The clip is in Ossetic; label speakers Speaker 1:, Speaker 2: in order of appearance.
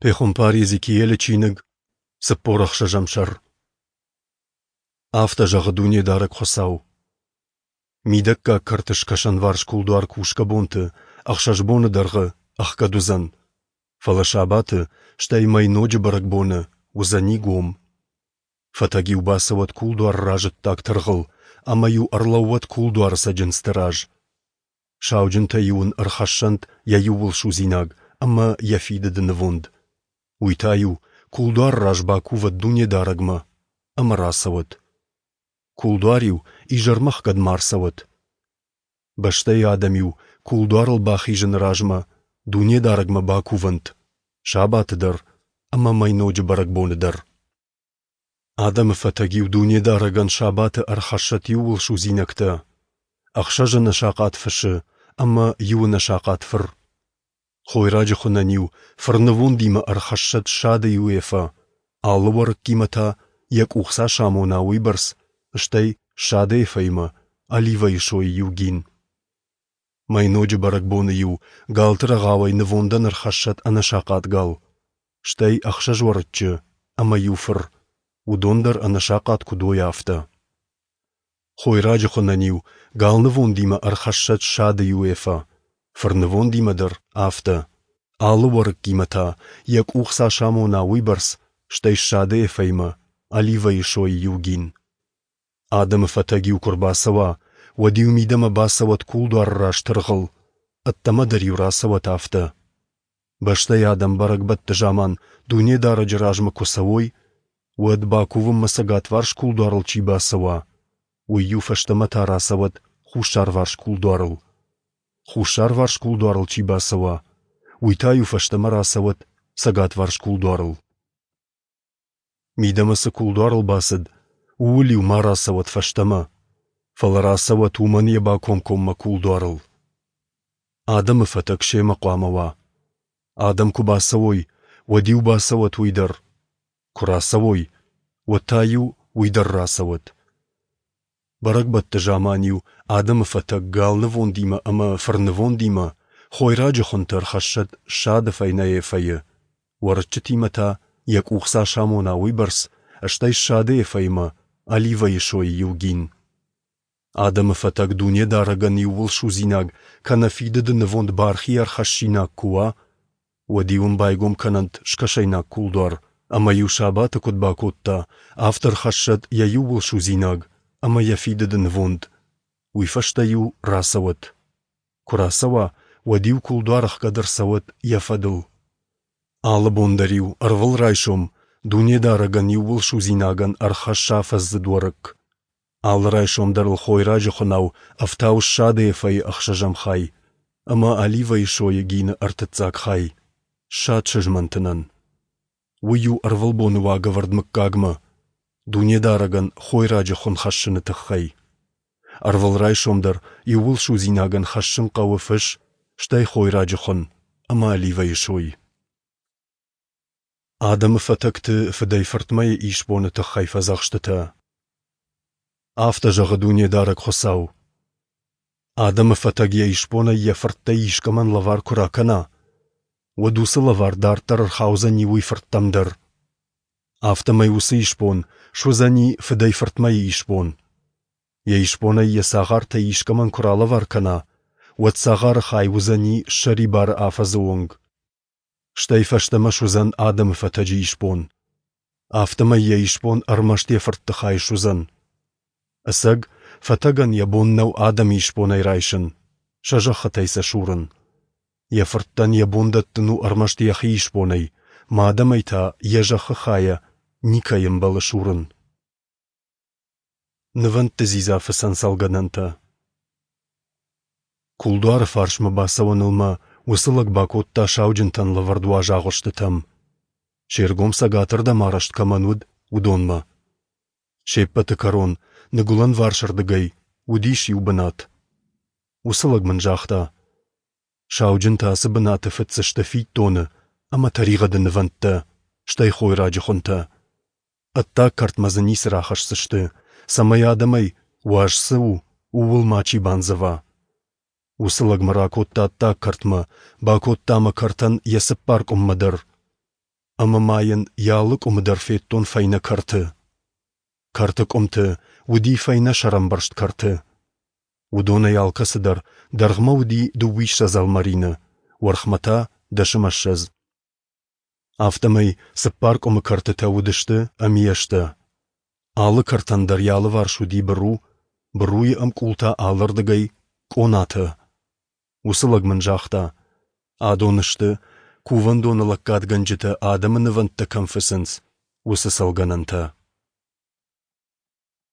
Speaker 1: Пехуымпар Йезекиелы чиныг, 46-ӕм сӕр. Афтӕ зӕгъы Дунедарӕг Хуыцау: Мидӕггаг кӕрты скӕсӕнварс кулдуар кусгӕ бонты ӕхсӕз боны дӕргъы ӕхгӕд уыдзӕн, фӕлӕ сабаты, стӕй мӕйноджы бӕрӕгбоны уыдзӕни гом. Фӕтӕг-иу бацӕуӕд кулдуары раз ӕддаг тыргъыл ӕмӕ-иу ӕрлӕууӕд кулдуары цӕджындзты раз. Сауджынтӕ-иу ын ӕрхӕссӕнт йӕ иууылсудзинаг ӕмӕ йӕ фидыды нывонд. Уый та-иу кулдуары раз бакувӕд Дунедарӕгмӕ ӕмӕ рацӕуӕд. Кулдуар-иу изӕрмӕ ӕхгӕд ма ӕрцӕуӕд. Бӕстӕйы адӕм-иу кулдуарыл бахизыны размӕ Дунедарӕгмӕ бакувӕнт сабаты дӕр ӕмӕ мӕйноджы бӕрӕгбоны дӕр. Адӕмы фӕтӕг-иу Дунедарӕгӕн сабаты ӕрхӕссӕд иууылсудзинӕгтӕ, ӕхсӕз ӕнӕсахъат фысы ӕмӕ иу ӕнӕсахъат фыр. Хойраджы хуынӕн-иу фырнывондимӕ ӕрхӕссӕд ссады иу эфӕ, алы уӕрыккимӕ та йӕ къух цас амона, уыйбӕрц, стӕй ссады эфӕимӕ оливӕйы сойы иу гин. Мӕйноджы бӕрӕгбоны-иу галты рӕгъауӕй нывондӕн ӕрхӕссӕд ӕнӕсахъат гал, стӕй ӕхсӕз уӕрыччы ӕмӕ иу фыр, уыдон дӕр ӕнӕсахъат куыд уой, афтӕ. Хойраджы хуынӕн-иу галнывондимӕ ӕрхӕссӕд ссады иу эфӕ, фырнывондимӕ дӕр афтӕ, алы уӕрыккимӕ та, йӕ къух цас амона, уыйбӕрц, стӕй ссады эфӕимӕ оливӕйы сойы иу гин. Адӕмы фӕтӕг-иу куы рбацӕуа, уӕд-иу мидӕмӕ бацӕуӕд кулдуары раз тыргъыл, ӕддӕмӕ дӕр-иу рацӕуӕд афтӕ. Бӕстӕйы адӕм бӕрӕгбӕтты заман Дунедарӕджы размӕ куы цӕуой, уӕд бакувынмӕ цӕгатварс кулдуарыл чи бацӕуа, уый-иу фӕстӕмӕ та рацӕуӕд хуссарварс кулдуарыл. Хуссарварс кулдуарыл чи бацӕуа, уый та-иу фӕстӕмӕ рацӕуӕд цӕгатварс кулдуарыл. Мидӕмӕ цы кулдуарыл бацыд, ууыл-иу ма рацӕуӕд фӕстӕмӕ, фӕлӕ рацӕуӕд уымӕн йӕ бакомкоммӕ кулдуарыл. Адӕмы фӕтӕг семӕ хъуамӕ уа. Адӕм куы бацӕуой, уӕд-иу бацӕуӕд уый дӕр. Куы рацӕуой, уӕд та-иу уый дӕр рацӕуӕд. Бӕрӕгбӕтты заман-иу адӕмы фӕтӕг галнывондимӕ ӕмӕ фырнывондимӕ хойраджы хуынты ӕрхӕссӕд ссады фӕйнӕ эфӕйы, уӕрыччытимӕ та йӕ къух цас амона, уыйбӕрц, стӕй ссады эфӕимӕ оливӕйы сойы иу гин. Адӕмы фӕтӕг Дунедарӕгӕн иууылсудзинаг кӕнӕ фидыды нывонд бархи ӕрхӕссинаг куы уа, уӕд-иу ын байгом кӕнӕнт скӕсӕйнаг кулдуар, ӕмӕ-иу сабаты куыд бакодта, афтӕ ӕрхӕссӕд йӕ иууылсудзинаг ӕмӕ йӕ фидыды нывонд. Уый фӕстӕ-иу рацӕуӕд. Куы рацӕуа, уӕд-иу кулдуар ӕхгӕд ӕрцӕуӕд йӕ фӕдыл. Алы бон дӕр-иу ӕрвылрайсом Дунедарӕгӕн иууылсудзинагӕн ӕрхӕсс афӕдздзыд уӕрыкк. Алы райсом дӕр ыл хойраджы хуынау ӕфтау ссады эфӕйы ӕхсӕзӕм хай ӕмӕ оливӕйы сойы гины ӕртыццаг хай, ссад сызмӕнтынӕн. Уый у ӕрвылбоны уагӕвӕрд мыггагмӕ, Дунедарӕгӕн хойраджы хуын хӕссыны тыххӕй. Ӕрвылрайсом дӕр иууылсудзинагӕн хӕссын хъӕуы фыс, стӕй хойраджы хуын ӕмӕ оливӕйы сой. Адӕмы фӕтӕгты фыдӕй-фыртмӕйы исбоны тыххӕй фӕдзӕхстытӕ. Афтӕ зӕгъы Дунедарӕг Хуыцау: Адӕмы фӕтӕг йӕ исбонӕй йӕ фырттӕй искӕмӕн лӕвар куы ракӕна, уӕд уыцы лӕвар дарддӕр ӕрхаудзӕни уый фырттӕм дӕр. Афтӕмӕй уыцы исбон суыдзӕни фыдӕй-фыртмӕйы исбон. Йӕ исбонӕй йӕ цагъартӕй искӕмӕн куы ралӕвар кӕна, уӕд цагъары хай уыдзӕни ссӕрибары афӕдзы онг. Стӕй фӕстӕмӕ суыдзӕн адӕмы фӕтӕджы исбон. Афтӕмӕй йӕ исбон ӕрмӕст йӕ фыртты хай суыдзӕн. Ӕцӕг, фӕтӕгӕн йӕ бон нӕу адӕмы исбонӕй райсын, сӕ зӕххытӕй сӕ сурын. Йӕ фырттӕн йӕ бон дӕттын у ӕрмӕст йӕхи исбонӕй, ма адӕмӕй та йӕ зӕххы хайӕ никӕй ӕмбӕлы сурын. Нывӕндты дзидзафыцӕн цӕлгӕнӕнтӕ. Кулдуары фарсмӕ бацӕуӕныл мӕ уыцы лӕг бакодта сауджынтӕн лӕвӕрд уаз агъуыстытӕм. Се ргом цӕгатырдӕм арӕзт кӕмӕн уыд, уыдонмӕ. Се ппӕты кӕрон, ныгуылӕнварсырдыгӕй, уыдис иу бынат. Уыцы лӕг мын загъта: Сауджынтӕ ацы бынаты фыцдзысты фиддоны ӕмӕ тӕригъӕды нывӕндтӕ, стӕй хойраджы хуынтӕ. Ӕддаг кӕртмӕ дзы ницы рахӕсдзысты, цӕмӕй адӕмӕй, уаз цы у, ууыл мачи бандзӕва. Уыцы лӕг мӕ ракодта ӕддаг кӕртмӕ, бакодта мӕ кӕртӕн йӕ цыппар къуыммӕ дӕр. Ӕмӕ ма йын йӕ алы къуымы дӕр федтон фӕйнӕ кӕрты. Кӕрты къуымты уыди фӕйнӕ сӕрӕмбӕрзт кӕрты. Уыдонӕй алкӕцы дӕр дӕргъмӕ уыди дыууиссӕдз ӕлмӕрины, уӕрхмӕ та дӕсымӕссӕдз. Афтӕмӕй цыппар къуымы кӕртытӕ уыдысты ӕмиӕстӕ. Алы кӕртӕн дӕр йӕ алыварс уыди быру, быруйы ӕмкъултӕ алырдыгӕй къонатӕ. Уыцы лӕг мын загъта: Адон сты, кувӕндоны лӕггадгӕнджытӕ адӕмы нывӕндтӕ кӕм фыцынц, уыцы цӕлгӕнӕнтӕ.